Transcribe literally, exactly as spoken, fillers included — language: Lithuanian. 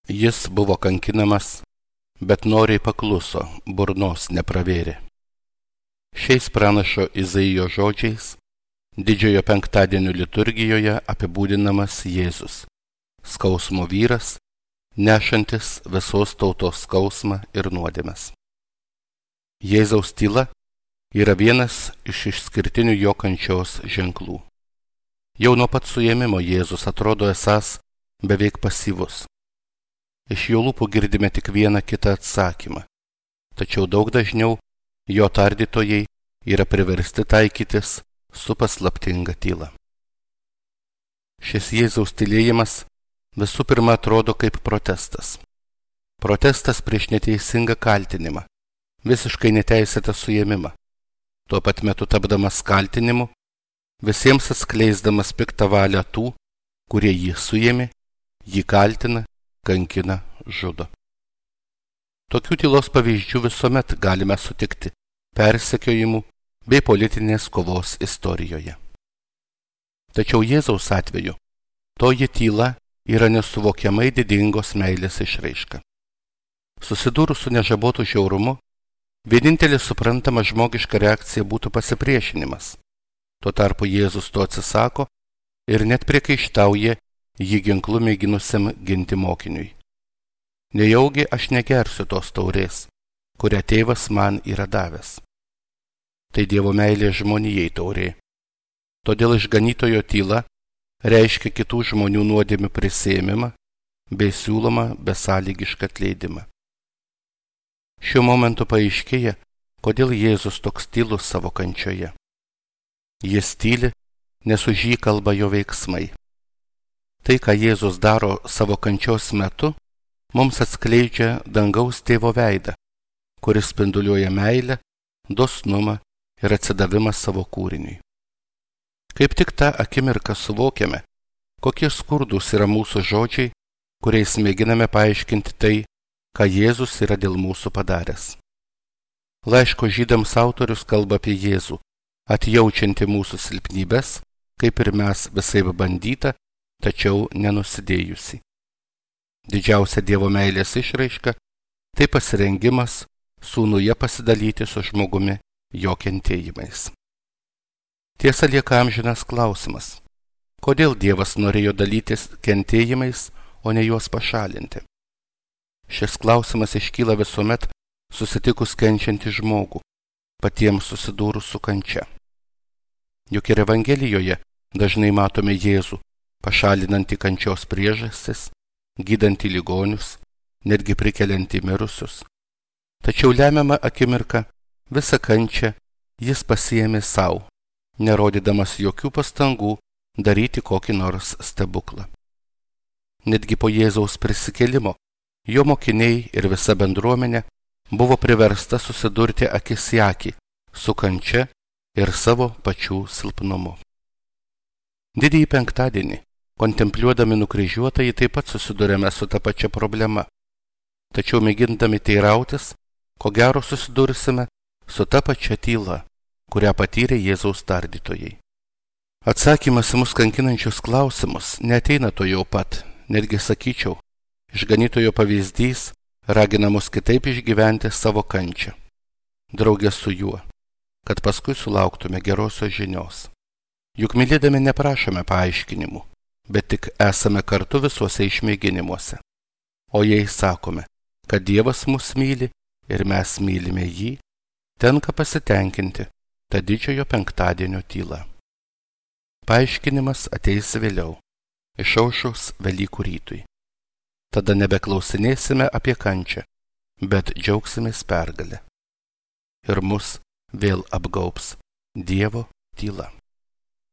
Jis buvo kankinamas, bet noriai pakluso, burnos nepravėrė. Šiais pranašo Izaijo žodžiais didžiojo penktadienio liturgijoje apibūdinamas Jėzus, skausmo vyras, nešantis visos tautos skausmą ir nuodėmes. Jėzaus tyla yra vienas iš išskirtinių jo kančios ženklų. Jau nuo pat suėmimo Jėzus atrodo esąs beveik pasyvus. Iš jo lūpų girdime tik vieną kitą atsakymą, tačiau daug dažniau jo tardytojai yra priversti taikytis su paslaptinga tyla. Šis Jėzaus tylėjimas visų pirma atrodo kaip protestas. Protestas prieš neteisingą kaltinimą, visiškai neteisėtą suėmimą, tuo pat metu tapdamas kaltinimu, visiems atskleisdamas piktą valią tų, kurie jį suėmė, jį kaltina, kankina, žudo. Tokių tylos pavyzdžių visuomet galime sutikti persekiojimų bei politinės kovos istorijoje. Tačiau Jėzaus atveju toji tyla yra nesuvokiamai didingos meilės išraiška. Susidūrus su nežabotu žiaurumu, vienintelė suprantama žmogiška reakcija būtų pasipriešinimas. Tuo tarpu Jėzus to atsisako ir net priekaištauja jį ginklu mėginusiam ginti mokiniui. Nejaugi aš negersiu tos taurės, kurią tėvas man yra davęs. Tai Dievo meilė žmonijai taurė. Todėl išganytojo tyla reiškia kitų žmonių nuodėmių prisiėmimą bei siūlomą besąlygišką atleidimą. Šiuo momentu paaiškėja, kodėl Jėzus toks tylus savo kančioje. Jis tyli, nes už jį kalba jo veiksmai. Tai, ką Jėzus daro savo kančios metu, mums atskleidžia dangaus tėvo veidą, kuris spinduliuoja meilę, dosnumą ir atsidavimą savo kūriniui. Kaip tik tą akimirką suvokiame, kokie skurdus yra mūsų žodžiai, kuriais mėginame paaiškinti tai, ką Jėzus yra dėl mūsų padaręs. Laiško žydams autorius kalba apie Jėzų, atjaučianti mūsų silpnybes, kaip ir mes visai bandyta, tačiau nenusidėjusi. Didžiausia Dievo meilės išraiška – tai pasirengimas sūnuje pasidalyti su žmogumi jo kentėjimais. Tiesa lieka amžinas klausimas, kodėl Dievas norėjo dalytis kentėjimais, o ne juos pašalinti. Šis klausimas iškyla visuomet susitikus kenčiantį žmogų, patiems susidūrus su kančia. Juk ir Evangelijoje dažnai matome Jėzų, pašalinantį kančios priežastis, gydantį ligonius, netgi prikeliantį mirusius. Tačiau lemiamą akimirką visą kančią jis pasiėmė sau, nerodydamas jokių pastangų daryti kokį nors stebuklą. Netgi po Jėzaus prisikėlimo jo mokiniai ir visa bendruomenė buvo priversta susidurti akis į akį su kančia ir savo pačių silpnumu. Didįjį penktadienį, kontempliuodami nukryžiuotąjį, taip pat susidurėme su ta pačia problema. Tačiau mėgindami teirautis, ko gero susidursime su ta pačia tyla, kurią patyrė Jėzaus tardytojai. Atsakymas į mus kankinančius klausimus neateina to jau pat, netgi sakyčiau, išganytojo pavyzdys ragina mus kitaip išgyventi savo kančią, draugė su juo, kad paskui sulauktume gerosios žinios. Juk mylėdami neprašome paaiškinimų, bet tik esame kartu visuose išmėginimuose. O jei sakome, kad Dievas mus myli ir mes mylime jį, tenka pasitenkinti tą didžiojo penktadienio tylą. Paaiškinimas ateis vėliau, išaušus Velykų rytui. Tada nebeklausinėsime apie kančią, bet džiaugsimės pergalę. Ir mus vėl apgaubs Dievo tyla.